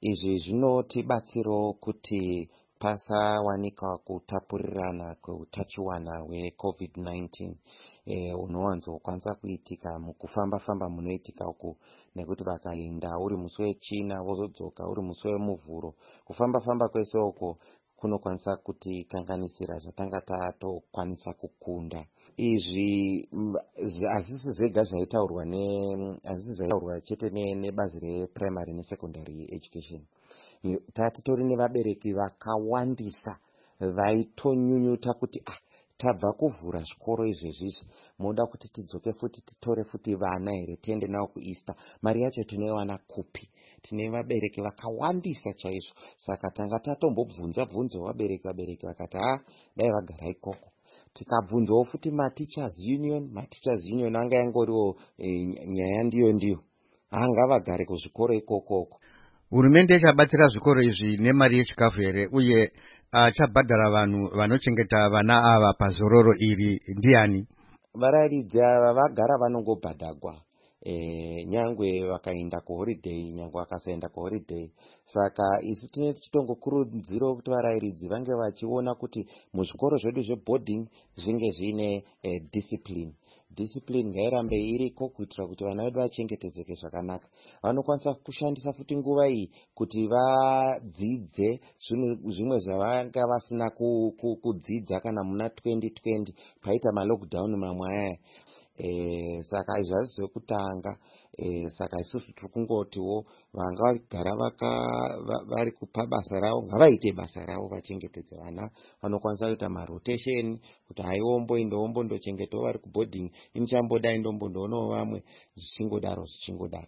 Izvi zvinotibatsirawo kuti pasawanikwa kutapurirana kweutachiwana hweCovid-19 unowanzokwanisa kuitika mukufamba-famba munoitika uku, nekuti vakaenda uri musi weChina, vozodzoka uri musi weMuvhuro, kufamba-famba kwese uko kunokwanisa kutikanganisira zvatanga tatokwanisa kukunda. Izvi hazvisi zvega zvaitaurwa, hazvisi zvaitaurwa chete nebazi reprimary nesecondary education. Tatitori nevabereki vakawandisa vaitonyunyuta kuti, "Ah, tabva kuvhura zvikoro izvezvizvi, moda kuti tidzoke futi, titore futi vana here, tiende navo kuEaster? Mari yacho tinoiwana kupi?" Tine vabereki vakawandisa chaizvo. Saka tanga tatombobvunza bvunzo vabereki. Vabereki vakati, "Ha, dai vagara ikoko." Tikabvunzawo futi mateachers union. Mateachers union anga yangoriwo nyaya ndiyo ndiyo, hangavagare kuzvikoro ikokoko. Hurumende ichabatsira zvikoro izvi nemari yechikafu here, uye achabhadhara vanhu vanochengeta vana ava pazororo iri ndiani? Varairidzi ava vagara vanongobhadhagwa, nyangwe vakaenda kuholiday, nyangwe vakasaenda kuholiday. Saka isu tine tichitongokurudzirawo kuti varairidzi vange vachiona kuti muzvikoro zvedu zveboarding zvinge zviine discipline. Discipline ngairambe iriko kuitira kuti vana vedu vachengetedzeke zvakanaka. Vanokwanisa kushandisa futi nguva iyi kuti vadzidze zvimwe zvavanga vasina kudzidza kana muna 2020 paita malockdown mamwe ayaya. Saka izvi hazvi zvekutanga. Saka isusu tiri kungotiwo vanga vagara vari kupa basa ravo ngavaite basa ravo, vachengetedze vana. Vanokwanisa kuita marotation kuti haiwomboendawo, mbondochengetawo vari kuboarding, inichambodai, ndombondoonawo vamwe, zvichingodaro zvichingodaro.